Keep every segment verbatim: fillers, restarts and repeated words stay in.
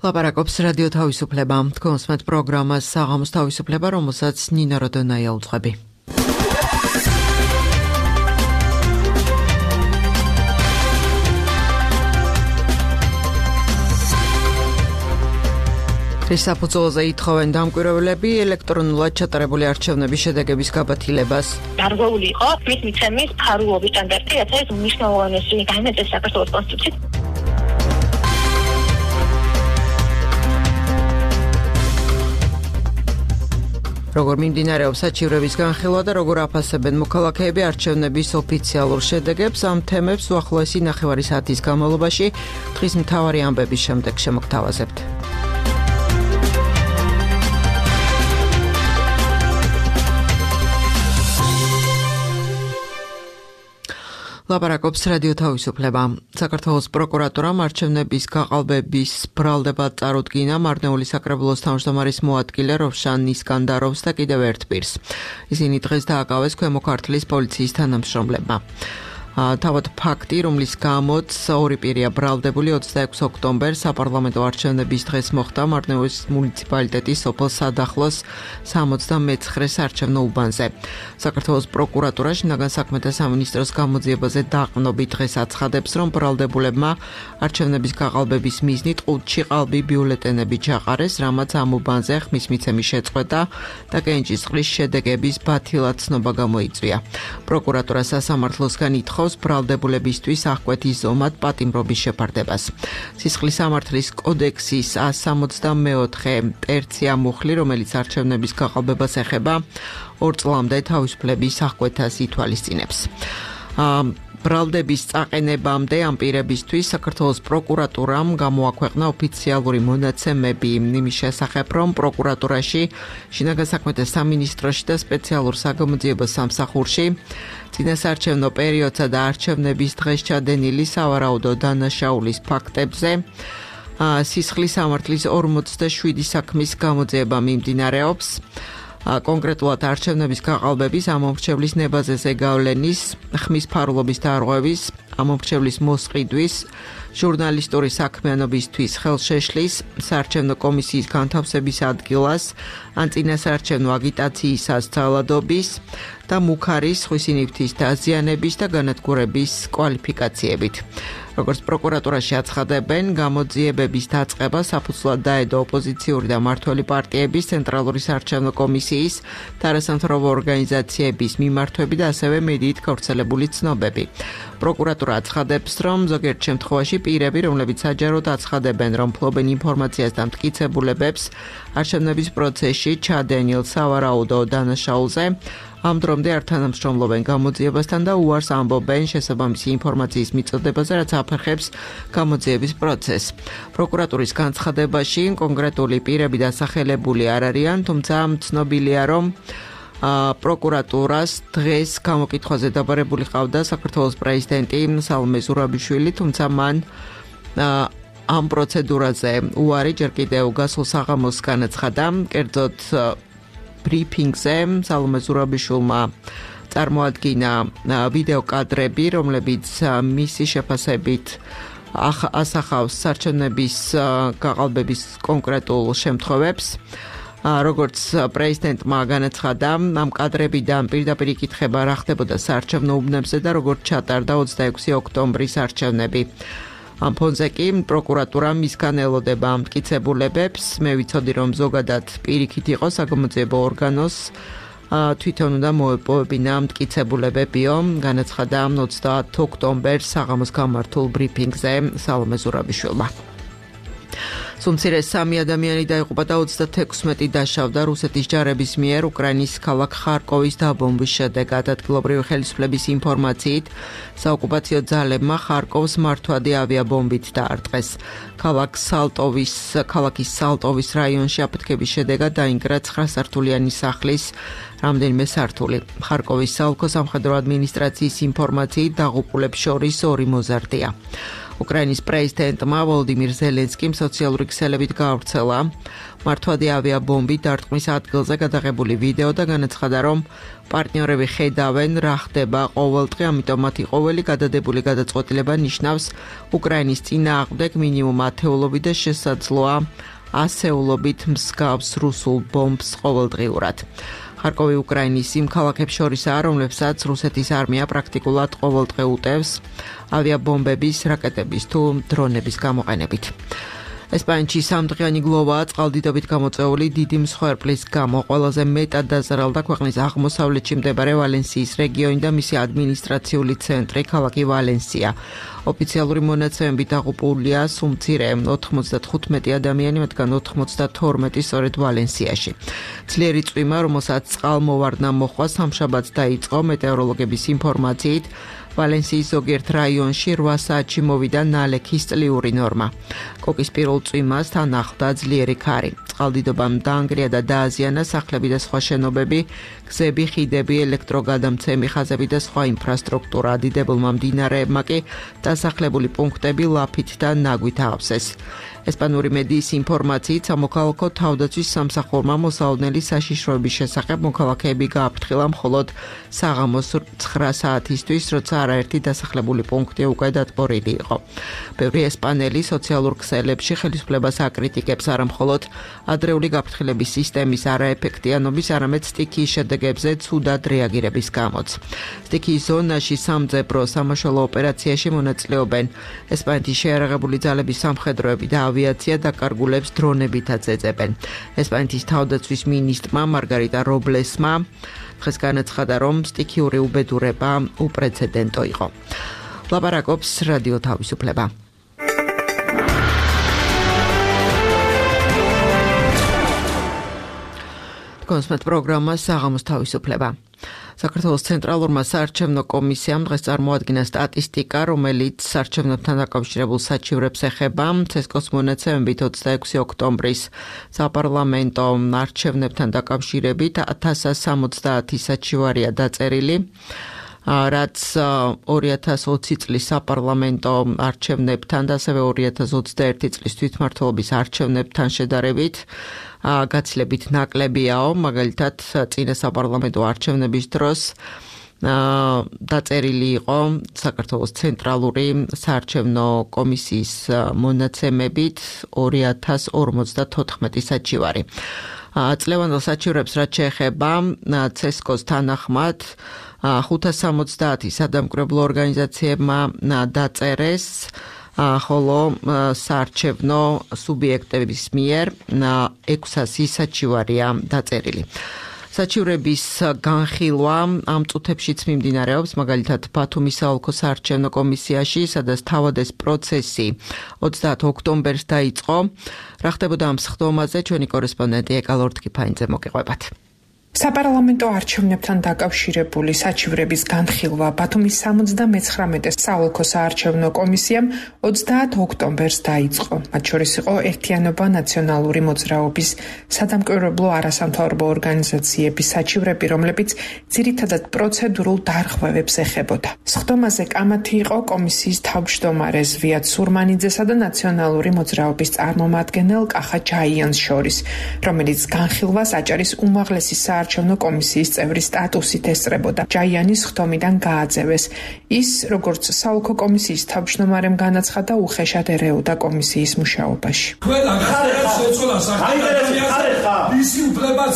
ლაპარაკობს რადიო თავისუფლება. თქვენს მეტ პროგრამას საღამოს თავისუფლება, რომელსაც ნინო როდონაია უძღვები. ის საფუძველზე ითხოვენ დამკვირვებლები ელექტრონულად ჩატარებული არჩევნების შედეგების გაბათილებას. დარღვეული იყო მის მიცემის ფარულობის სტანდარტი, რაც არის მნიშვნელოვანესი განმეწეს საქართველოს კონსტიტუციით. როგორ მიმდინარეობს საჩივრების განხილვა და როგორ აფასებენ მოქალაქეები არჩევნების ოფიციალურ შედეგებს, ამ თემებს უახლოესი ნახევარი საათის განმავლობაში დღის მთავარი ამბების შემდეგ შემოგთავაზებთ. ლაპარაკობს რადიო თავისუფლება. საქართველოს პროკურატურამ არჩევნების გაყალბების ბრალდება წარუდგინა მარნეული საკრებულოს თავმჯდომარის მოადგილე როვშან ისკანდაროვს და კიდევ ერთ პირს. ისინი დღეს დააკავეს ქვემო ქართლის პოლიციის თანამშრომლებმა. თავად ფაქტი, რომლის გამოც ორი პირია ბრალდებული ოცდაექვსი ოქტომბერს საპარლამენტო არჩევნების დღეს მოხდა მარნეულის მუნიციპალიტეტის სოფელ სადახლოს სამოცდამეცხრე საარჩევნო უბანზე. საქართველოს პროკურატურა შინაგან საქმეთა სამინისტროს გამოძიებაზე დაყრდნობით დღეს აცხადებს, რომ ბრალდებულებმა არჩევნების გაყალბების მიზნით ყუთში ყალბი ბიულეტენები ჩაყარეს, რამაც ამ უბანზე ხმის მიცემის შეწყვეტა და კენჭისყრის შედეგების ბათილად ცნობა გამოიწვია. პროკურატურა სასამართლოსგან ითხოვს ბრალდებულებისთვის აღკვეთის ზომად პატიმრობის შეფარდებას. სისხლის სამართლის კოდექსის ას სამოცდამეოთხე ტერცია მუხლი, რომელიც არჩევნების გაყალბებას ეხება, ორ წლამდე თავისუფლების აღკვეთას ითვალისწინებს. ბრალდების წაყენებამდე ამ პირებისთვის საქართველოს პროკურატურამ გამოაქვეყნა ოფიციალური მონაცემები იმის შესახებ, რომ პროკურატურაში, შინაგან საქმეთა სამინისტროში და სპეციალურ საგამოძიებო სამსახურში წინასაარჩევნო პერიოდსა და არჩევნების დღეს ჩადენილი სავარაუდო დანაშაულის ფაქტებზე სისხლის სამართლის ორმოცდაშვიდი საქმის გამოძიება მიმდინარეობს. კონკრეტულად არჩევნების გაყალბების, ამომრჩევლის ნებაზეზე გავლენის, ხმის ფარულობის დარღვევის, ამომრჩევლის მოსყიდვის, ჟურნალისტური საქმიანობისთვის ხელშეშლის, საარჩევნო კომისიის განთავსების ადგილას, ან წინასაარჩევნო აგიტაციისას ძალადობის და მუქარის, ხვისინიფთის დაზიანების და განადგურების კვალიფიკაციებით. როგორც პროკურატურაში აცხადებენ, გამოძიებების დაწყება საფუძვლად დაედო ოპოზიციური და მმართველი პარტიების, ცენტრალური საარჩევნო კომისიის და არასამთავრობო ორგანიზაციების მიმართვები და ასევე მედიით გავრცელებული ცნობები. პროკურატურა აცხადებს, რომ ზოგიერთ შემთხვევაში პირები, რომლებიც საჯაროდ აცხადებენ, რომ ფლობენ ინფორმაციას და მტკიცებულებებს არჩევნების პროცესში ჩადენილ სავარაუდო დანაშაულზე, ამ დრომდე არ თანამშრომლობენ გამოძიებასთან და უარს ამბობენ შესაბამისი ინფორმაციის მიწოდებაზე, რაც აფერხებს გამოძიების პროცესს. პროკურატურის განცხადებაში კონკრეტული პირები დასახელებული არ არიან, თუმცა ცნობილია, რომ პროკურატურას დღეს გამოკითხვაზე დაბარებული ყავდა საქართველოს პრეზიდენტი სალომე ზურაბიშვილი, თუმცა მან ამ პროცედურაზე უარი ჯერ კიდევ გასულ საღამოს განაცხადა. კერძოდ ბრიფინგზე სალომე ზურაბიშვილმა წარმოადგინა ვიდეო კადრები, რომლებიც მისი შეფასებით ასახავს არჩევნების გაყალბების კონკრეტულ შემთხვევებს. როგორც პრეზიდენტმა განაცხადა, ამ კადრებიდან პირდაპირ იკითხება რა ხდებოდა საარჩევნო უბნებზე და როგორც ჩატარდა ოცდაექვსი ოქტომბრის არჩევნები. ამ ფონზე კი პროკურატურა მისგან ელოდება მტკიცებულებებს. მე ვიცოდი, რომ ზოგადად პირიქით იყო საგამოძიებო ორგანოს თვითონ უნდა მოეპოვებინა მტკიცებულებებიო, განაცხადა ოცდაათი ოქტომბერს საღამოს გამართულ ბრიფინგზე სალომე ზურაბიშვილმა. სუმცირე სამი ადამიანი დაიღუპა და ოცდათექვსმეტი დაშავდა რუსეთის ჯარების მიერ უკრაინის ქალაქ ხარკოვის დაბომბვის შედეგად. ადგილობრივი ხელისუფლების ინფორმაციით, საოკუპაციო ძალებმა ხარკოვს მართვადი ავიაბომბით დაარტყეს. ქალაქ სალტოვის, ქალაქის სალტოვის რაიონში აფეთქების შედეგად დაინგრა ცხრასართულიანი სახლის რამდენიმე სართული. ხარკოვის საოლქო სამხედრო ადმინისტრაციის ინფორმაციით დაღუპულებს შორის ორი მოზარდია. უკრაინის პრეზიდენტმა ვოლოდიმირ ზელენსკიმ სოციალური ქსელებით გაავრცელა მართვადი ავიაბომბით დარტყმის ადგილზე გადაღებული ვიდეო და განაცხადა, რომ პარტნიორები ხედავენ, რა ხდება ყოველდღე, ამიტომ მათი ყოველი გადადებული გადაწყვეტილება ნიშნავს უკრაინის წინააღმდეგ მინიმუმ ათეულობით და შესაძლოა ასეულობით მსგავს რუსულ ბომბს ყოველდღიურად. ხარკოვი უკრაინის იმ ქალაქებს შორისაა, რომლებსაც რუსეთის არმია პრაქტიკულად ყოველდღე უტევს ავიაბომბების, რაკეტების თუ დრონების გამოყენებით. ესპანეთში სამდღიანი გლოვაა წყალდიდობით გამოწვეული დიდი მსხვერპლის გამო. ყველაზე მეტად დაზარალდა ქვეყნის აღმოსავლეთში მდებარე ვალენსიის რეგიონი და მისი ადმინისტრაციული ცენტრი ქალაქი ვალენსია. ოფიციალური მონაცემებით დაღუპულია სულ მცირე ოთხმოცდათხუთმეტი ადამიანი, მათგან ოთხმოცდათორმეტი სწორედ ვალენსიაში. ძლიერი წვიმა, რომელსაც წყალმოვარდნა მოჰყვა, სამშაბათს დაიწყო მეტეოროლოგების ინფორმაციით. ვალენსიის ზოგიერთ რაიონში რვა საათში მოვიდა ნალექის წლიური ნორმა. კოკისპირულ წვიმას თან ახლდა ძლიერი ქარი. წყალდიდობამ დაანგრია და დააზიანა სახლები და სხვა შენობები, გზები, ხიდები, ელექტროგადამცემი ხაზები და სხვა ინფრასტრუქტურა. დიდებულმა მდინარეებმა კი დასახლებული პუნქტები ლაფით და ნაგვით აავსეს. ესპანური მედიის ინფორმაციით სამოქალაქო თავდაცვის სამსახურმა მოსალოდნელი საშიშროების შესახებ მოქალაქეები გააფრთხილა მხოლოდ საღამოს ცხრა საათისთვის, როცა არაერთი დასახლებული პუნქტი უკვე დატბორილი იყო. ბევრი ესპანელი სოციალურ ქსელებში ხელისუფლებას აკრიტიკებს არა მხოლოდ ადრეული გაფრთხილების სისტემის არაეფექტიანობის, არამედ სტიქიის შედეგებზე ცუდად რეაგირების გამოც. სტიქიის ზონაში სამძებრო სამაშველო ოპერაციაში მონაწილეობენ ესპანეთის შეიარაღებული ძალების სამხედროები და ავიაცია დაკარგულებს დრონებითაც ეძებენ. ესპანეთის თავდაცვის მინისტრმა მარგარიტა რობლესმა დღეს განაცხადა, რომ სტიქიური უბედურება უპრეცედენტო იყო. ლაპარაკობს რადიო თავისუფლება. კონსმეთ პროგრამა საღამოს თავისუფლება. საქართველოს ცენტრალურმა საარჩევნო კომისიამ დღეს წარმოადგინა სტატისტიკა, რომელიც საარჩევნებთან დაკავშირებულ საჩივრებს ეხება. ცესკოს მონაცემებით ოცდაექვსი ოქტომბრის საპარლამენტო არჩევნებთან დაკავშირებით ათას სამოცდაათი საჩივარია დაწერილი, რაც ორი ათას ოცი წლის საპარლამენტო არჩევნებთან და ასევე ორი ათას ოცდაერთი წლის თვითმმართველობის არჩევნებთან შედარებით გაცილებით ნაკლებიაო. მაგალითად, წინა საპარლამენტო არჩევნების დროს დაწერილი იყო საქართველოს ცენტრალური საარჩევნო კომისიის მონაცემებით ორი ათას ორმოცდათოთხმეტი საჩივარი. წლევანდელ საჩივრებს რაც შეეხება ცესკოს თანახმად ხუთას სამოცდაათი სადამკვირვებლო ორგანიზაციებმა დაწერეს, ხოლო საარჩევნო სუბიექტების მიერ ექვსასი საჩივარია დაწერილი. საჩივრების განხილვა ამ წუთებშიც მიმდინარეობს, მაგალითად ბათუმის საოლქო საარჩევნო კომისიაში, სადაც თავადეს პროცესი ოცდაათ ოქტომბერს დაიწყო. რა ხდებოდა ამ სხდომაზე, ჩვენი კორესპონდენტი ეკა ლორთქიფაინძე მოგიყვებათ. საპარლამენტო არჩევნებთან დაკავშირებული საჩივრების განხილვა ბათუმის სამოცდამეცხრამეტე საოლქო საარჩევნო კომისიამ ოცდაათ ოქტომბერს დაიწყო. მათ შორის იყო ერთიანობა ნაციონალური მოძრაობის სადამკვირვებლო არასამთავრობო ორგანიზაციების საჩივრები, რომლებიც ძირითადად პროცედურულ დარღვევებს ეხებოდა. სხდომაზე კამათი იყო კომისიის თავმჯდომარე ზვიად სურმანიძესა და ნაციონალური მოძრაობის წარმომადგენელ კახა ჯაიანს შორის, რომელიც განხილვას აჭარის უმაღლესი საარჩევნო კომისიის წევრის სტატუსით ესწრებოდა. ჯაიანის სხდომიდან გააძევეს. ის, როგორც საოლქო კომისიის თავმჯდომარემ განაცხადა, უხეშად ერეოდა კომისიის მუშაობაში. ყველა გახარება შეცვალა საქართველოს მისი უფლებაც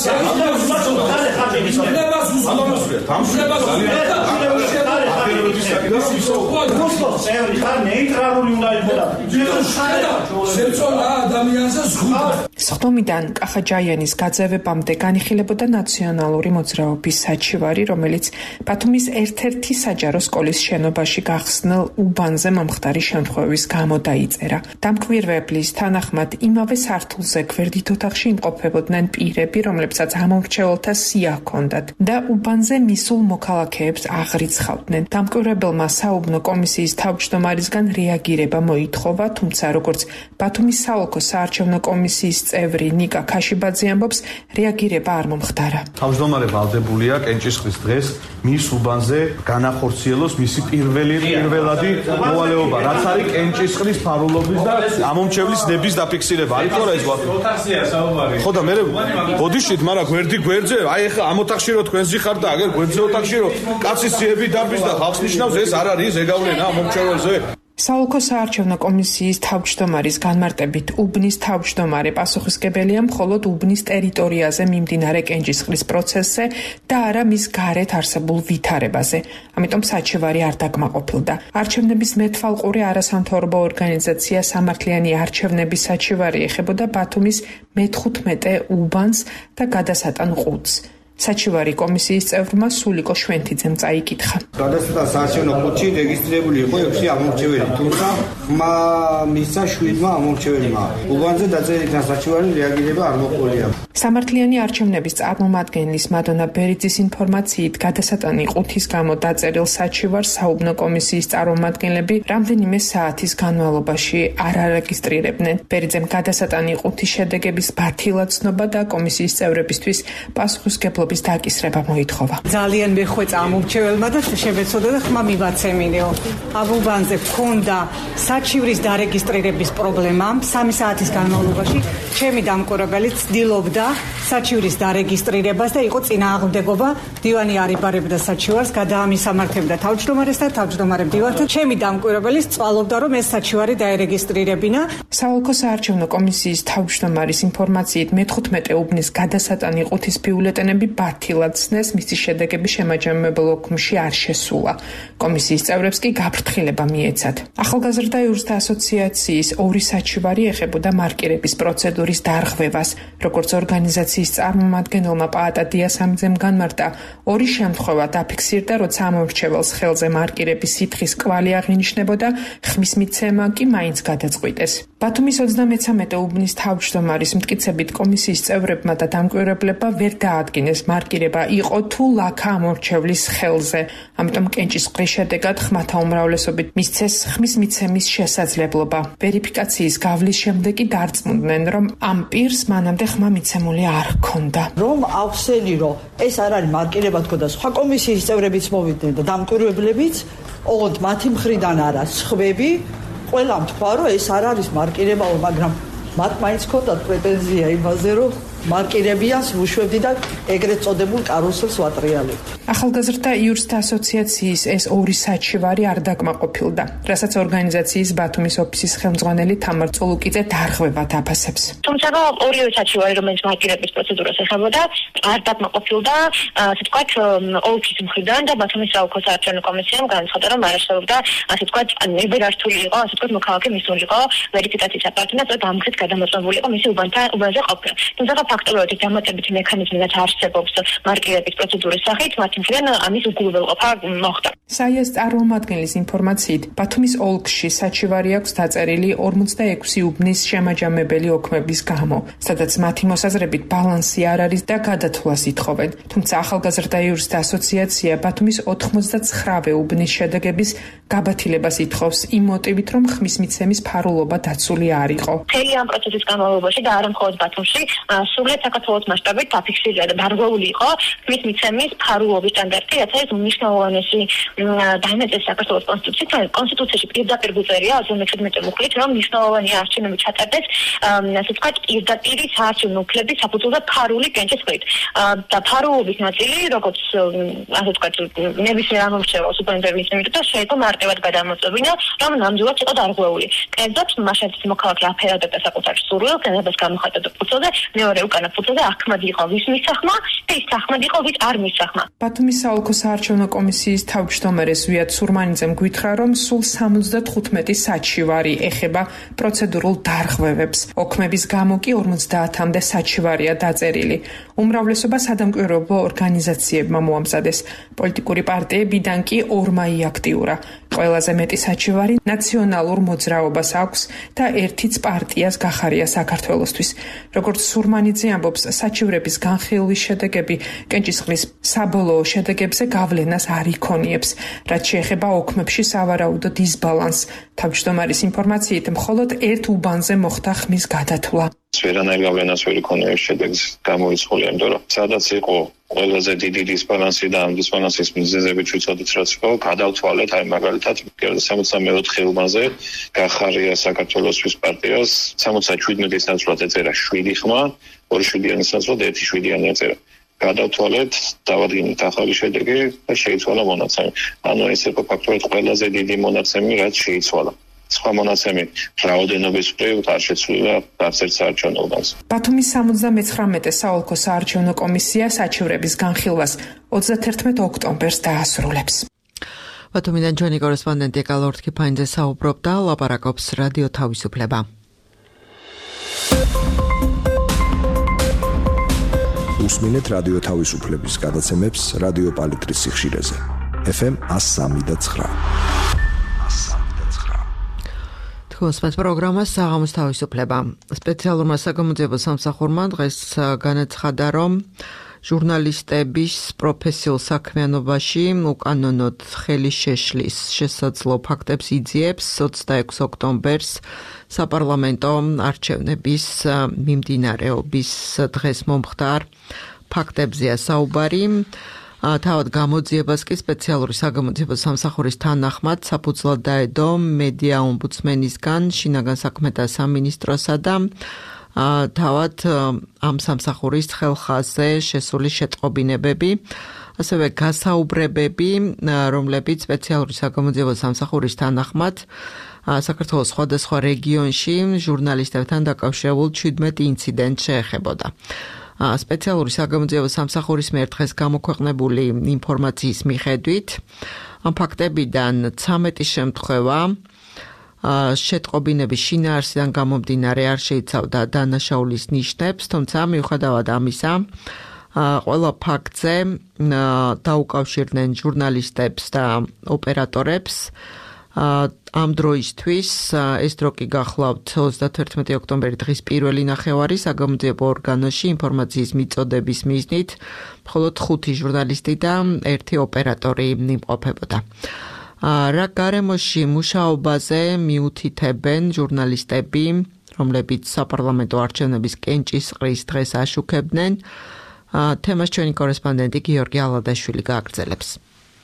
სხდომიდან კახა ჯაიანის გაძევებამდე განიხილებოდა ნაციონალური მოძრაობის საჩივარი, რომელიც ბათუმის ერთ-ერთი საჯარო სკოლის შენობაში გახსნილ უბანზე მომხდარი შემთხვევის გამო დაიწერა. დამკვირვებლის თანახმად იმავე სართულზე გვერდით ოთახში იმყოფებოდნენ პირები, რომლებსაც ამომრჩეველთა სია ჰქონდათ და უბანზე მისულ მოქალაქეებს აღრიცხავდნენ. დამკვირვებელმა საუბნო კომისიის თავმჯდომარისგან რეაგირება მოითხოვა, თუმცა როგორც ბათუმის საოლქო საარჩევნო კომისიის წევრი ნიკა ქაშიბაძე ამბობს, რეაგირება არ მომხდარა. თავმჯდომარე ვალდებულია კენჭისყრის დღეს მის უბანზე განახორციელოს მისი პირველი პირველადი მოვალეობა, რაც არის კენჭისყრის ფარულობის და ამომრჩევლის ნების დაფიქსირება. არის ხო რა ეს ოთახზეა საუბარი. ხო და მე ბოდიშით, მაგრამ გვერდი გვერდზე, აი ეხლა ამ ოთახში რო თქვენ ზიხარ და აგერ გვერდზე ოთახში რო კაცის ძიები დაბის და ხალხს ნიშნავს, ეს არ არის ზეგავლენა ამომრჩეველზე. საოლქო საარჩევნო კომისიის თავმჯდომარის განმარტებით უბნის თავმჯდომარე პასუხისმგებელია მხოლოდ უბნის ტერიტორიაზე მიმდინარე კენჭისყრის პროცესზე და არა მის გარეთ არსებულ ვითარებაზე. ამიტომ საჩივარი არ დაკმაყოფილდა. არჩევნების მეთვალყური არასამთავრობო ორგანიზაცია სამართლიანი არჩევნების საჩივარი ეხებოდა ბათუმის მეთხუთმეტე უბანს და გადასატან ყუთს. საჩივარი კომისიის წევრმა სულიკო შვენთიძემ წაიკითხა. გადასტან საარჩევნო ყუთში რეგისტრირებული იყო ექვსი ამომრჩეველი, თუმცა ხმა მისცა შვიდმა ამომრჩეველმა. უბანზე დაწერილ საჩივარი რეაგირება არ მოყოლია. სამართლიანი არჩევნების წარმომადგენლის მადონა ბერიძის ინფორმაციით, გადასატანი ყუთის გამო დაწერილ საჩივარს საუბნო კომისიის წარმომადგენლები რამდენიმე საათის განმავლობაში არ არეგისტრირებდნენ. ბერიძემ გადასატანი ყუთის შედეგების ბათილად ცნობა და კომისიის წევრებისთვის პასუხისმგებლობა დაკისრება მოითხოვა. ძალიან მეხვეწა ამომრჩეველმა და შემეცოდა და ხმა მივაცემინეო. აბუბანზე ქონდა საჩივრის დარეგისტრირების პრობლემა. სამი საათის განმავლობაში ჩემი დამკვირვებელი ცდილობდა საჩივრის დარეგისტრირებას და იყო წინააღმდეგობა. დივანი არიბარებდა საჩივარს, გადაამისამართებდა თავმჯდომარეს და თავმჯდომარე მდივანთან. ჩემი დამკვირვებელი წვალობდა, რომ ეს საჩივარი დაერეგისტრირებინა. საოლქო საარჩევნო კომისიის თავმჯდომარის ინფორმაციით მეთხუთმეტე უბნის გადასატანი ყუთის ბიულეტენები ბათილად ცნეს, მისი შედეგები შემაჯამებელ ოქმში არ შესულა. კომისიის წევრებს კი გაფრთხილება მიეცათ. ახალგაზრდა იურისტთა ასოციაციის ორი საჩივარი ეხებოდა მარკირების პროცედურის დარღვევას. როგორც ორგანიზაციის წარმომადგენელმა პაატა დიასამიძემ განმარტა, ორი შემთხვევა დაფიქსირდა, როცა ამომრჩეველს ხელზე მარკირების სითხის კვალი აღინიშნებოდა, ხმის მიცემა კი მაინც გადაწყვიტეს. ბათუმის ოცდამეცამეტე უბნის თავმჯდომარის მტკიცებით კომისიის წევრებმა და დამკვირვებლებმა ვერ დაადგინეს მარკირება იყო თუ ლაქა ამორჩევლის ხელზე. ამიტომ კენჭისყრის შედეგად ხმათა უმრავლესობით მისცეს ხმის მიცემის შესაძლებლობა. ვერიფიკაციის გავლის შემდეგ კი დარწმუნდნენ, რომ ამ პირს მანამდე ხმა მიცემული არ ჰქონდა. რომ ავსენი, რომ ეს არ არის მარკირება თქო და სხვა კომისიის წევრებიც მოვიდნენ და დამკვირვებლებიც, ოღონდ მათი მხრიდან არა, სხვები ყველამ თქვა, რომ ეს არ არის მარკირებაო, მაგრამ მათ მაინც ჰქონდათ პრეტენზია იმაზე, რომ მარკირებიანს ვუშვებდი და ეგრეთ წოდებულ კარუსელს ვატრიალებდი. ახალგაზრდა იურისტთა ასოციაციის ეს ორი საჩივარი არ დაკმაყოფილდა, რასაც ორგანიზაციის ბათუმის ოფისის ხელმძღვანელი თამარ წულუკიძე დარღვევად აფასებს. თუმცა ორივე საჩივარი, რომელიც მარკირების პროცედურას ეხებოდა, არ დაკმაყოფილდა, ასე ვთქვათ, ოლქის მხრიდან და ბათუმის საოლქო საარჩევნო კომისიამ განაცხადა, რომ არ არსებობდა, ასე ვთქვათ, ნებერართული იყო, ასე ვთქვათ, მოქალაქე მისულიყო ვერიფიკაციის აპარატი და დამხეთ გადამოწმებული იყო მისი უბანთან უბანზე ყოფნა. თუმცა ფაქტობრივად დამატებითი მექანიზმი რაც არსებობს მარკირების პროცედურის სახით, მათი მხრიდან ამის უგულველყოფა მოხდა. საიას წარმომადგენლის ინფორმაციით, ბათუმის ოლქში საჩივარი აქვს დაწერილი ორმოცდაექვსი უბნის შემაჯამებელი ოქმების გამო, სადაც მათი მოსაზრებით ბალანსი არ არის და გადათვლას ითხოვენ. თუმცა ახალგაზრდა იურისტთა ასოციაცია ბათუმის ოთხმოცდაცხრა უბნის შედეგების გაბათილებას ითხოვს იმ მოტივით, რომ ხმის მიცემის ფარულობა დაცული არ იყო. მთელი ამ პროცესის განმავლობაში და არა მხოლოდ ბათუმში, სრულად საქართველოს მასშტაბით დაფიქსირდა და დარღვეული იყო ხმის მიცემის ფარულობის სტანდარტი, რაც არის უმნიშვნელოვანესი დაიმეწეს საქართველოს კონსტიტუციით. კონსტიტუციაში პირდაპირ გვწერია ოცდამეჩვიდმეტე მუხლით, რომ მნიშვნელოვანია არჩევნები ჩატარდეს, ასე ვთქვათ, პირდაპირი საარჩევნო უფლების საფუძველზე ფარული კენჭისყრით. და ფარულობის ნაწილი, როგორც ასე ვთქვათ, ნებისმიერ ამომრჩეველს უკანასკნელი იმიტო შეიძლება მარტივად გადამოწმებინა, რომ ნამდვილად იყო დარღვეული. კერძოდ, მაშინ მოქალაქე აფერადებდა საკუთარ სურვილს, განებას გამოხატდა ფუძველზე, მეორე უკანა ფუძველზე ახმად იყო ვის მისახმა და ის ახმად იყო ვის არ მისახმა. ბათუმის საოლქო საარჩევნო კომისიის თავმჯდომარე ზვიად სურმანიძემ გვითხრა, რომ სულ სამოცდათხუთმეტი საჩივარი ეხება პროცედურულ დარღვევებს. ოქმების გამო კი ორმოცდაათამდე საჩივარია დაწერილი. უმრავლესობა სადამკვირვებლო ორგანიზაციებმა მოამზადეს. პოლიტიკური პარტიებიდან კი ორმა იაქტიურა. ყველაზე მეტი საჩივარი ნაციონალურ მოძრაობას აქვს და ერთიც პარტიას გახარია საქართველოსთვის. როგორც სურმანიძე ამბობს, საჩივრების განხილვის შედეგები კენჭისყრის საბოლოო შედეგებზე გავლენას არ იქონიებს, რაც შეეხება ოქმებში სავარაუდო დისბალანსს. თავმჯდომარის ინფორმაციით, მხოლოდ ერთ უბანზე მოხდა ხმის გადათვლა. ვერანაირ გავლენას ვერ იქონია ეს შედეგს გამოიცხული, იმიტომ რომ სადაც იყო ყველაზე დიდი დისბალანსი და ამ დისბალანსის მიზეზებით ვიცოდით რაც იყო, გადავთვალეთ აი მაგალითად სამოცდამეოთხე უბანზე გახარია საქართველოსთვის პარტიას სამოცდაშვიდმეტის ნაცვლად ეწერა შვიდი ხმა, ორი შვიდიანის ნაცვლად ერთი შვიდიანი ეწერა. გადავთვალეთ, დავადგინეთ ახალი შედეგი და შეიცვალა მონაცემი. ანუ ეს იყო ფაქტობრივად ყველაზე დიდი მონაცემი, რაც შეიცვალა. სხვა მონაცემი რაოდენობის მხრივ არ შეცვლილა არც ერთ საარჩევნო უბანს. ბათუმის სამოცდამეცხრამეტე საოლქო საარჩევნო კომისია საჩივრების განხილვას ოცდათერთმეტ ოქტომბერს დაასრულებს. ბათუმიდან ჩვენი კორესპონდენტი კალორთ ქიფაინძე საუბრობდა, ლაპარაკობს რადიო თავისუფლება. უსმინეთ რადიო თავისუფლების გადაცემებს რადიო პალიტრის სიხშირეზე. ეფ ემ one oh three point nine. თქოს პროგრამას საღამოს თავისუფლება. სპეციალურმა საგამოძიებო სამსახურმა დღეს განაცხადა, რომ ჟურნალისტების პროფესიულ საქმიანობაში უკანონოდ ხელი შეშლის შესაძლო ფაქტებს იძიებს ოცდაექვსი ოქტომბერს საპარლამენტო არჩევნების მიმდინარეობის დღეს მომხდარ ფაქტებზეა საუბარი. თავად გამოძიებას კი სპეციალური საგამოძიებო სამსახურის თანახმად საფუძვლად დაედო მედია ომბუდსმენისგან, შინაგან საქმეთა სამინისტროსა და თავად ამ სამსახურის ხელხაზე შესული შეტყობინებები, ასევე გასაუბრებები, რომლებიც სპეციალური საგამოძიებო სამსახურის თანახმად საქართველოს სხვადასხვა რეგიონში ჟურნალისტებთან დაკავშირებულ ჩვიდმეტ ინციდენტს შეეხებოდა. სპეციალური საგამოძიებო სამსახურის მიერ დღეს გამოქვეყნებული ინფორმაციის მიხედვით ამ ფაქტებიდან ცამეტი შემთხვევა შეტყობინების შინაარსიდან გამომდინარე არ შეიცავდა დანაშაულის ნიშნებს, თუმცა მიუხედავად ამისა ყველა ფაქტზე დაუკავშირდნენ ჟურნალისტებს და ოპერატორებს. ამ დროისთვის ეს დრო კი გახლავთ ოცდათერთმეტი ოქტომბერი დღის პირველი ნახევარი საგამოძიებო ორგანოში ინფორმაციის მიწოდების მიზნით მხოლოდ ხუთი ჟურნალისტი და ერთი ოპერატორი იმყოფებოდა. რა გარემოში მუშაობაზე მიუთითებენ ჟურნალისტები, რომლებიც საპარლამენტო არჩევნების კენჭისყრის დღეს აშუქებდნენ, თემას ჩვენი კორესპონდენტი გიორგი ალადაშვილი გააგრძელებს.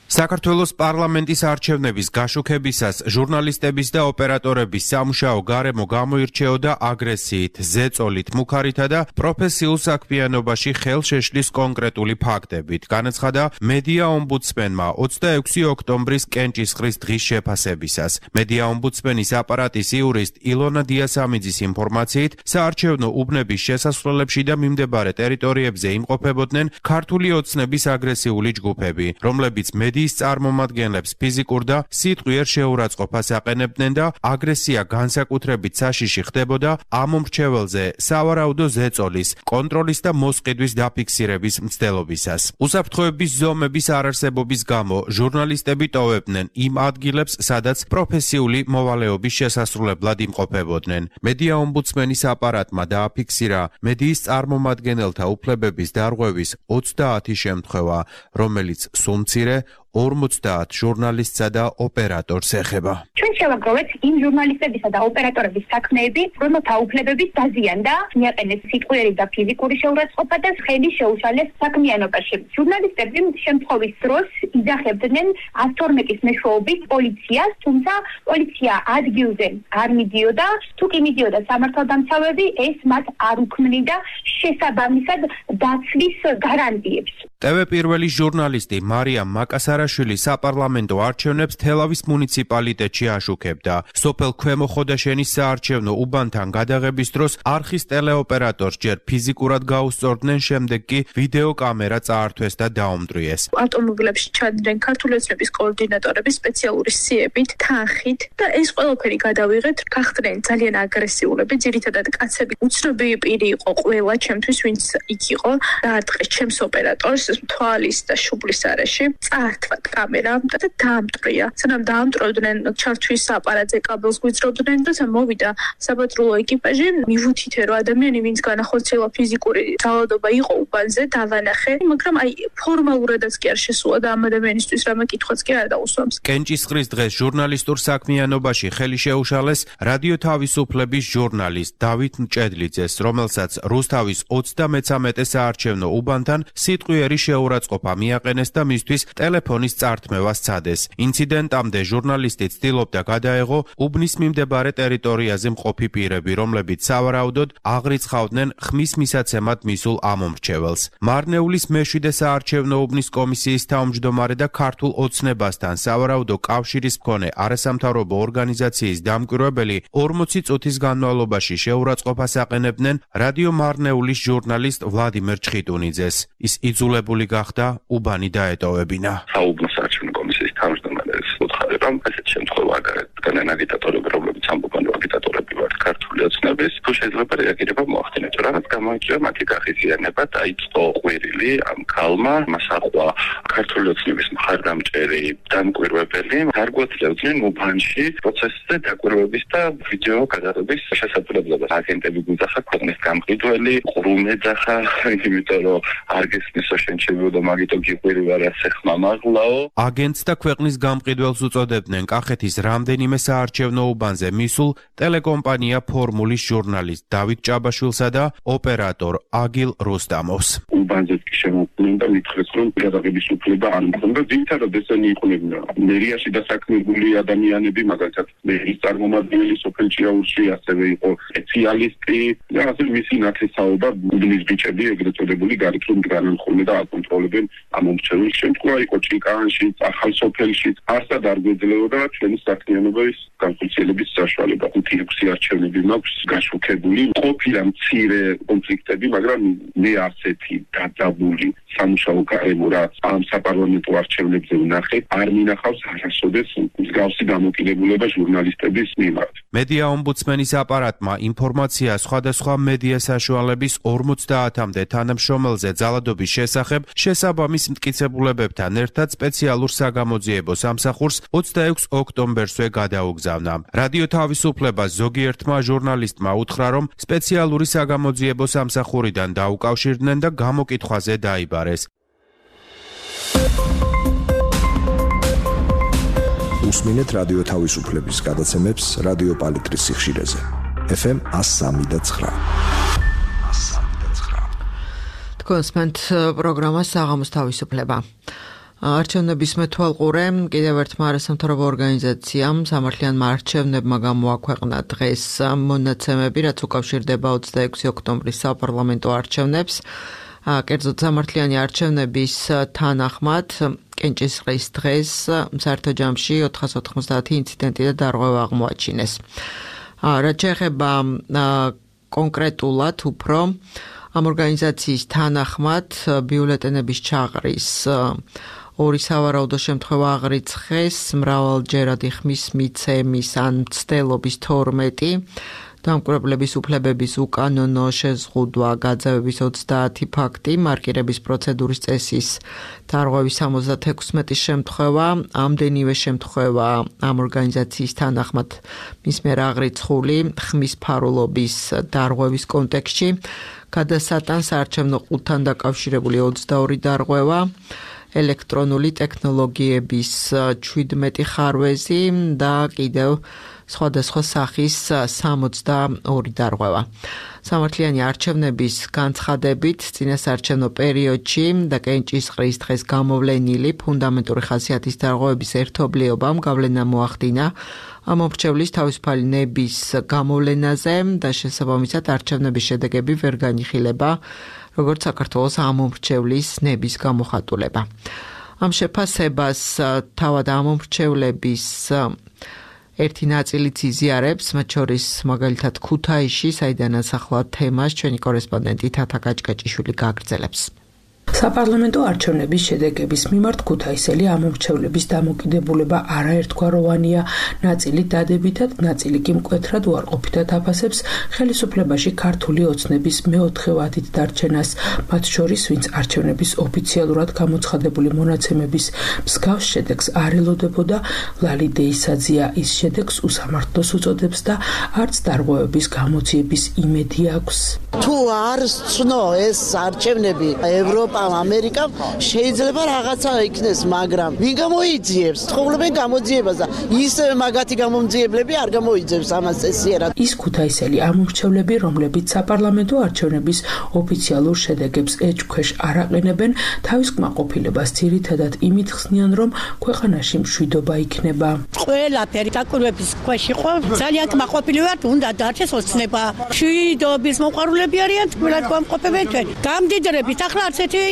საქართველოს პარლამენტის არჩევნების გაშუქებისას ჟურნალისტების და ოპერატორების სამუშაო გარემო გამოირჩეოდა აგრესიით, ზეწოლით, მუქარითა და პროფესიულ საქმიანობაში ხელშეშლის კონკრეტული ფაქტებით. განაცხადა მედია ომბუდსმენმა ოცდაექვსი ოქტომბრის კენჭისყრის დღის შეფასებისას. მედია ომბუდსმენის აპარატის იურისტ ილონა დიასამიძის ინფორმაციით, საარჩევნო უბნების შესასვლელებში და მიმდებარე ტერიტორიებზე იმყოფებოდნენ ქართული ოცნების აგრესიული ჯგუფები, რომლებიც მედიის წარმომადგენლებს ფიზიკურ და სიტყვიერ შეურაცხყოფას აყენებდნენ და აგრესია განსაკუთრებით საშიში ხდებოდა ამ მომრჩეველზე სავარაუდო ზეწოლის, კონტროლის და მოსყიდვის დაფიქსირების მცდელობისას. უსაფრთხოების ზომების არარსებობის გამო ჟურნალისტები ტოვებდნენ იმ ადგილებს, სადაც პროფესიული მოვალეობის შესასრულებლად იმყოფებოდნენ. მედია ომბუდსმენის აპარატმა დააფიქსირა მედიის წარმომადგენელთა უფლებების დარღვევის ოცდაათი შემთხვევა, რომელიც სულ-მცირე ორმოცდაათ ჟურნალისტსა და ოპერატორს ეხება. ჩვენ შევაგროვეთ იმ ჟურნალისტებისა და ოპერატორების საქმეები, რომელთა უფლებების დაზიანდა, მიაყენეს სიტყვიერი და ფიზიკური შეურაცხყოფა და ხელი შეუშალეს საქმიანობაში. ჟურნალისტები შემთხვევის დროს იძახებდნენ ათს თორმეტის მეშვეობით პოლიციას, თუმცა პოლიცია ადგილზე არ მიდიოდა, თუ კი მიდიოდა სამართალდამცავები, ეს მათ არ უქმნიდა შესაბამისად დაცვის გარანტიებს. ტევ პირველი ჟურნალისტი მარიამ მაკასარაშვილი საპარლამენტო არჩევნებს თელავის მუნიციპალიტეტში აშუქებდა. სოფელ ქვემო ხოდაშენის საარჩევნო უბანთან გადაღების დროს არხის ტელეოპერატორს ჯერ ფიზიკურად გაუსწორდნენ, შემდეგ კი ვიდეო კამერა წაართვეს და დაუმტვრიეს. ავტომობილებში ჩადდნენ ქართული ოცნების კოორდინატორები სპეციალური სიებით, თანხით და ეს ყველაფერი გადავიღეთ. გახდნენ ძალიან აგრესიულები, ძირითადად კაცები. უცნობი პირი იყო ყველა ჩემთვის, ვინც იქ იყო, დაარტყეს ჩემს ოპერატორს, სანაცვლოდ თვალის და შუბლის არეში წაართვა კამერა და დაამტვრია. სანამ დაამტვრევდნენ ჩართვის აპარატზე კაბელს გვიძრობდნენ და მოვიდა საპატრულო ეკიპაჟი. მივუთითე რომ ადამიანი ვინც განახორციელა ფიზიკური ძალადობა იყო უბანზე დავანახე, მაგრამ აი ფორმალურადაც კი არ შესულა და ამ ადამიანისთვის რამე კითხვაც კი არ დაუსვამს. კენჭისყრის დღეს ჟურნალისტურ საქმიანობაში ხელი შეუშალეს რადიო თავისუფლების ჟურნალისტ დავით მჭედლიძეს, რომელსაც რუსთავის ოცდამეცამეტე საარჩევნო უბანთან სიტყვიერი შეურაცხყოფა მიაყენეს და მისთვის ტელეფონის წართმევა სცადეს. ინციდენტამდე ჟურნალისტი ცდილობდა გადაეღო უბნის მიმდებარე ტერიტორიაზე მყოფი პირები, რომლებიც სავარაუდოდ აღრიცხავდნენ ხმის მისაცემად მისულ ამომრჩეველს. მარნეულის მეშვიდე საარჩევნო უბნის კომისიის თავმჯდომარე და ქართულ ოცნებასთან სავარაუდო კავშირის მქონე არასამთავრობო ორგანიზაციის დამკვირვებელი ორმოცი წუთის განმავლობაში შეურაცხყოფას აყენებდნენ რადიო მარნეულის ჟურნალისტ ვლადიმერ ჩხიტუნიძეს. ის იძულებული გახდა უბანი დაეტოვებინა. საუბნო საარჩევნო კომისიის თავმჯდომარეს უთხარებამ ასეთ შემთხვევა განან აგიტატორები, რომლებიც ამბობენ, რომ აგიტატორები ვართ ქართული ოცნების, თუ შეიძლება რეაგირება მოახდინეთ, რაღაც გამოიწვია მათი გახიზიანება, დაიწყო ყვირილი ამ ქალმა, მას ახვა ქართული ოცნების მხარდამჭერი დამკვირვებელი, გარკვეულებდნენ უბანში პროცესზე დაკვირვების და ვიდეო გადაღების შესაძლებლობას. აგენტები გვიძახა ქვეყნის გამყიდველი, ყრუმ ეძახა, იმიტომ რომ არ გესმისო შენ შევიდო მაგითო გიყვირი ვარ ასე ხმამაღლაო. აგენტს და ქვეყნის გამყიდველს უწოდებდნენ კახეთის რამდენიმე საარჩევნო უბანზე მისულ ტელეკომპანია ფორმულის ჟურნალისტ დავით ჭაბაშვილსა და ოპერატორ აგილ რუსტამოვს. უბანზე შემოყვნენ და მითხრეს, რომ გადაღების უფლება არ მქონდა. ძირითადად ესენი იყვნენ მერიაში დასაქმებული ადამიანები, მაგალითად მერის წარმომადგენელი სოფელ ჭიაურში, ასევე იყო სპეციალისტი და ასე მისი ნათესაობა უბნის ბიჭები, ეგრეთ წოდებული გარეთლო განანხულე და აკონტროლებენ ამომრჩეველს. შემთხვევა იყო ჭიკაანში, ახალ სოფელში, არსად არ გვეძლეოდა ჩვენი საქმიანობის განხორციელების საშუალება. ხუთი ექვსი არჩევნები მაქვს გაშუქებული. ყოფილა მცირე კონფლიქტები, მაგრამ მე ასეთი დადაბული სამუშაო გარემო, რაც ამ საპარლამენტო არჩევნებზე ვნახე, არ მინახავს არასოდეს მსგავსი დამოკიდებულება ჟურნალისტების მიმართ. მედია ომბუდსმენის აპარატმა ინფორმაცია სხვადასხვა მედია საშუალების ორმოცდაათამდე თანამშრომელზე ძალადობის შესახებ შესაბამის მტკიცებულებებთან ერთად სპეციალურ საგამოძიებო სამსახურს ოცდაექვსი ოქტომბერსვე გადაუგზავნა. რადიო თავისუფლებას ზოგიერთმა ჟურნალისტმა უთხრა, რომ სპეციალური საგამოძიებო სამსახურიდან დაუკავშირდნენ და გამოკითხვაზე დაიბარეს. უსმინეთ რადიო თავისუფლების გადაცემებს რადიო პალიტრის სიხშირეზე. ეფ ემ one oh three და nine. თქვენსმენთ პროგრამა საღამოს თავისუფლება. არჩევნების მეთვალყურე კიდევ ერთმა არასამთავრობო ორგანიზაციამ სამართლიანმა არჩევნებმა გამოაქვეყნა დღეს მონაცემები, რაც უკავშირდება ოცდაექვსი ოქტომბრის საპარლამენტო არჩევნებს. კერძოდ სამართლიანი არჩევნების თანახმად კენჭისყრის დღეს საერთო ჯამში ოთხას ოთხმოცდაათი ინციდენტი და დარღვევა აღმოაჩინეს. რაც შეეხება კონკრეტულად უფრო ამ ორგანიზაციის თანახმად ბიულეტენების ჩაყრის ორი სავარაუდო შემთხვევა აღრიცხეს, მრავალჯერადი ხმის მიცემის ან მცდელობის თორმეტი, დამკვირვებლების უფლებების უკანონო შეზღუდვა, გაძევების ოცდაათი ფაქტი, მარკირების პროცედურის წესის დარღვევის სამოცდათექვსმეტი შემთხვევა, ამდენივე შემთხვევა ამ ორგანიზაციის თანახმად მის მიერ აღრიცხული ხმის ფარულობის დარღვევის კონტექსტში, გადასატან საარჩევნო ყუთთან დაკავშირებული ოცდაორი დარღვევა, ელექტრონული ტექნოლოგიების შვიდმეტი ხარვეზი და კიდევ სხვადასხვა სახის სამოცდაორი დარღვევა. სამართლიანი არჩევნების განცხადებით წინასაარჩევნო პერიოდში და კენჭისყრის დღეს გამოვლენილი ფუნდამენტური ხასიათის დარღვევების ერთობლიობამ გავლენა მოახდინა ამომრჩევლის თავისუფალი ნების გამოვლენაზე და შესაბამისად არჩევნების შედეგები ვერ განიხილება როგორც საქართველოს ამომრჩევლის ნების გამოხატულება. ამ შეფასებას თავად ამომრჩევლების ერთი ნაწილიც იზიარებს, მათ შორის მაგალითად ქუთაისში, საიდანაც ახლა თემას ჩვენი კორესპონდენტი თათა გაჭგაჭიშვილი გააგრძელებს. საპარლამენტო არჩევნების შედეგების მიმართ ქუთაისელი ამომრჩევლების დამოკიდებულება არაერთგვაროვანია, ნაწილი დადებითად, ნაწილი კი მკვეთრად უარყოფითად აფასებს ხელისუფლებაში ქართული ოცნების მეოთხე ვადით დარჩენას, მათ შორის, ვინც არჩევნების ოფიციალურად გამოცხადებული მონაცემების მსგავს შედეგს არ ელოდებოდა, ლალი დეისაძია ის შედეგს უსამართლოს უწოდებს და არც დარღვევების გამოძიების იმედი აქვს. თუ არ ცნო ეს არჩევნები ევროპამ, ამერიკამ შეიძლება რაღაცა იქნეს, მაგრამ ვინ გამოიძიებს? ცხოვრობენ გამოძიებას და ისევ მაგათი გამომძიებლები არ გამოიძიებს ამას წესიერად. ის ქუთაისელი ამომრჩევლები, რომლებიც საპარლამენტო არჩევნების ოფიციალურ შედეგებს ეჭქვეშ არ აყენებენ, თავის კმაყოფილებას ძირითადად იმით ხსნიან, რომ ქვეყანაში მშვიდობა იქნება. ყველაფერი დაკვირვების ქვეშ იყო, ძალიან კმაყოფილი ვართ, უნდა დარჩეს ოცნება. მშვიდობის მოყვარულები არიან, თქმულად გვამყოფებენ ჩვენ. გამდიდრებით, ახლა არც ერთი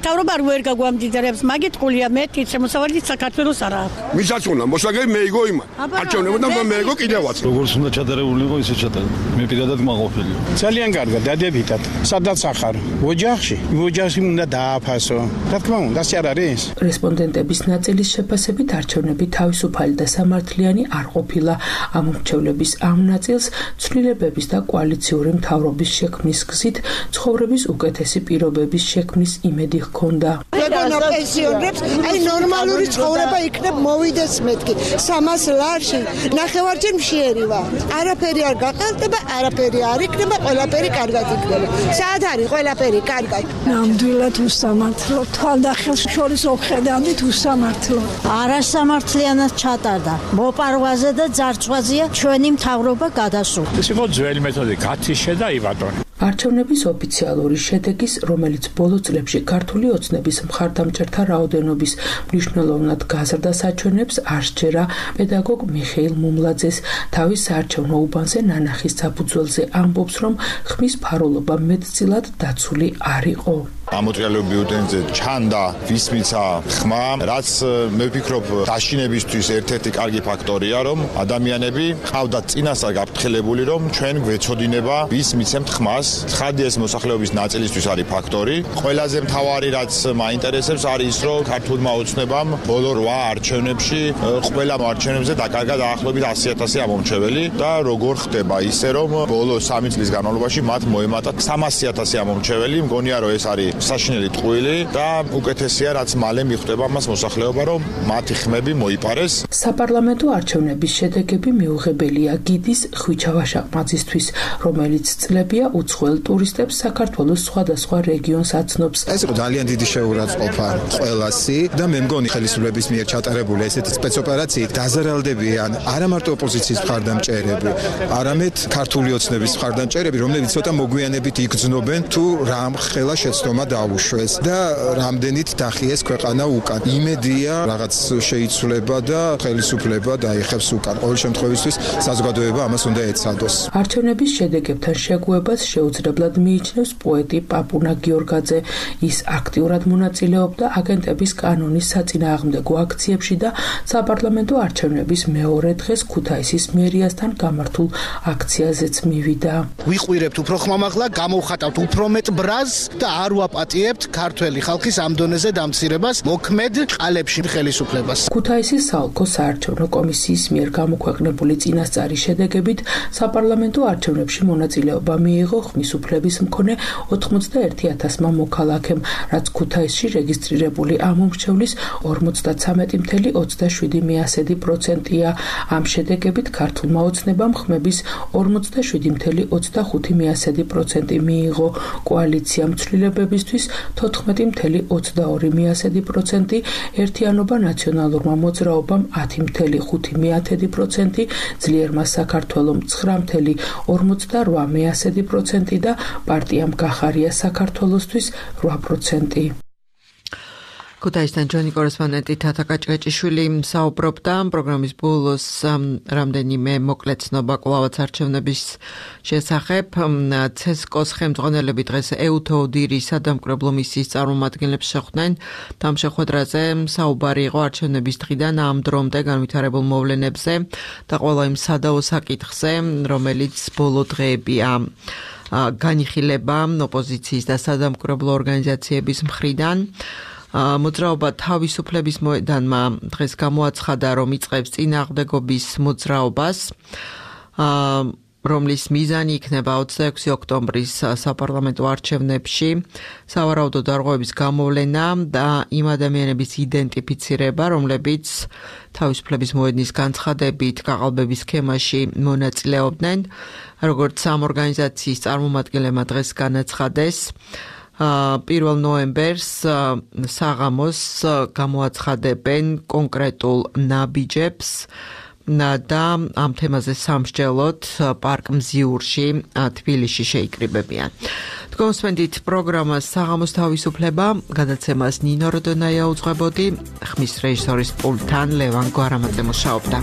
თავრობა ვერ გაგვამდიდრებს, მაგით ყულია მეტი შემოსავალი საქართველოს არა. ვისაც უნდა მოსაგები მეიგო იმან. არჩევნებოდა მეიგო კიდევაც. როგორც უნდა ჩატარებული იყო, ისე ჩატარდა. მე პირადად მაყოფილი. ძალიან კარგად დადებითად. სადაც ახარ? ოჯახში. ოჯახში უნდა დააფასო. რა თქმა უნდა, ასე არ არის? რესპონდენტების ნაწილის შეფასებით არჩევნები თავისუფალი და სამართლიანი არ ყოფილა. ამომრჩევლების ამ ნაწილს ცვლილებების და კოალიციური მთავრობის შექმნის გზით ცხოვრების უკეთესი პირობების შექმნის იმედი ჰქონდა. ეგონა პენსიონერებს, აი ნორმალური ცხოვრება იქნებ მოვიდეს მეთქი. სამას ლარში ნახევარჯერ მშიერი ვარ. არაფერი არ გაყალტება, არაფერი არ იქნება, ყველაფერი კარგად იქნება. საათ არის ყველაფერი კარგად. ნამდვილად უსამართლო, თვალდახელს შორის ოხედავით უსამართლო. არასამართლიანად ჩატარდა. მოპარვაზე და ძარცვაზეა ჩვენი მთავრობა გადასულა. ეს იყო ძველი მეთოდი, გათიშე და იბატონე. არჩევნების ოფიციალური შედეგის, რომელიც ბოლო წლებში ქართული ოცნების მხარდამჭერთა რაოდენობის მნიშვნელოვნად გაზრდა საჩვენებს, არ სჯერა პედაგოგ მიხეილ მუმლაძეს. თავის საარჩევნო უბანზე ნანახის საფუძველზე ამბობს, რომ ხმის ფარულობა მეტწილად დაცული არ იყო. ამოწიალო ბიულეტენზე ჩანდა ვისმიცა ხმა, რაც მე ვფიქრობ დაშინებისთვის ერთ-ერთი კარგი ფაქტორია, რომ ადამიანები ყავდათ წინასწარ გაფრთხილებული, რომ ჩვენ გვეცოდინება ვის მიცემთ ხმას. ცხადია ეს მოსახლეობის ნაწილისთვის არის ფაქტორი. ყველაზე მთავარი რაც მაინტერესებს არის ის, რომ ქართულმა ოცნებამ ბოლო რვა არჩევნებში ყველა არჩევნებზე დაკარგა დაახლოებით ასი ათასი ამომრჩეველი და როგორ ხდება ისე, რომ ბოლო სამი წლის განმავლობაში მათ მოემატა სამასი ათასი ამომრჩეველი. მგონია რომ ეს არის საშინელი ტყუილი და უკეთესია რაც მალე მიხვდება მას მოსახლეობა, რომ მათი ხმები მოიპარეს. საპარლამენტო არჩევნების შედეგები მიუღებელია გიდის ხვიჩა-ვაშაყმაძისთვის, რომელიც წლებია უცხოელ ტურისტებს საქართველოს სხვადასხვა რეგიონს აცნობს. ეს იყო ძალიან დიდი შეურაცხყოფა ყველასი და მე მგონი ხელისუფლების მიერ ჩატარებული ესეთი სპეცოპერაციით დაზარალდებიან არა მარტო ოპოზიციის მხარდამჭერები, არამედ ქართული ოცნების მხარდამჭერები, რომლებიც ცოტა მოგვიანებით იგრძნობენ თუ რამ ხელა შეცდომა დაუშვეს და რამდენით დახიეს ქვეყანა უკან. იმედია რაღაც შეიცვლება და ხელისუფლება დაიხევს უკან. ყოველ შემთხვევაში საზოგადოება ამას უნდა ეცადოს. არჩევნების შედეგებთან შეგუებას შეუძლებლად მიიჩნევს პოეტი პაპუნა გიორგაძე. ის აქტიურად მონაწილეობდა აგენტების კანონის საწინააღმდეგო აქციებში და საპარლამენტო არჩევნების მეორე დღეს ქუთაისის მერიასთან გამართულ აქციაზეც მივიდა. ვიყვირებთ უფრო ხმამაღლა, გამოვხატავთ უფრო მეტ ბრაზს და არ ვაპატიებთ ქართველი ხალხის ამ დონეზე დამცირებას, მოქმედ ყალებში ხელისუფლებას. ქუთაისის საოლქო საარჩევნო კომისიის მიერ გამოქვეყნებული წინასწარი შედეგებით საპარლამენტო არჩევნებში მონაწილეობა მიიღო ხმის უფლების მქონე ოცდაერთი ათასმა მოქალაქემ, რაც ქუთაისში რეგისტრირებული ამომრჩევლის ორმოცდაცამეტი ფاصლე ოცდაშვიდი პროცენტია. ამ შედეგებით ქართულმა ოცნებამ ხმების ორმოცდაშვიდი ფاصლე ოცდახუთი პროცენტი მიიღო. კოალიციამ ცვლილებებისთვის თოთხმეტი ფاصლე ოცდაორი პროცენტი, ერთიანობა ნაციონალურმა მოძრაობამ ათი ფاصლე ხუთი პროცენტი, ძლიერმა საქართველომ ცხრა ფاصლე ორმოცდარვა პროცენტი და პარტიამ გახარია საქართველოსთვის რვა პროცენტი. ქუთაისთან ჩვენი კორესპონდენტი თათა კაჭკაჭიშვილი საუბრობდა პროგრამის ბოლოს რამდენიმე მოკლეცნობა კვლავაც არჩევნების შესახებ. ცესკოს ხელმძღვანელები დღეს ეუთოოდირის სადამკვირვებლო მისიის წარმომადგენლებს შეხვდნენ. ამ შეხვედრაზე საუბარი იყო არჩევნების დღიდან ამ დრომდე განვითარებულ მოვლენებზე და ყველა იმ სადაო საკითხზე, რომელიც ბოლო დღეებია. განიხილება ოპოზიციის და სადამკვირვებლო ორგანიზაციების მხრიდან. მოძრაობა თავისუფლების მოედანმა დღეს გამოაცხადა, რომ იწყებს წინააღმდეგობის მოძრაობას, რომლის მიზანი იქნება ოცდაექვსი ოქტომბრის საპარლამენტო არჩევნებში სავარაუდო დარღვევების გამოვლენა და იმ ადამიანების იდენტიფიცირება, რომლებიც თავისუფლების მოედნის განცხადებით გაყალბების სქემაში მონაწილეობდნენ, როგორც ამ ორგანიზაციის წარმომადგენლებმა დღეს განაცხადეს. პირველ ნოემბერს საღამოს გამოაცხადებენ კონკრეტულ ნაბიჯებს და ამ თემაზე სამსჯელოდ პარკ მზიურში თბილისში შეიკრიბებიან. თქვენსვენდით პროგრამას საღამოს თავისუფლება, გადაცემას ნინო როდონაია უძღვებოდი, ხმის რეჟისორის პულტთან ლევან გვარამაძე მუშაობდა.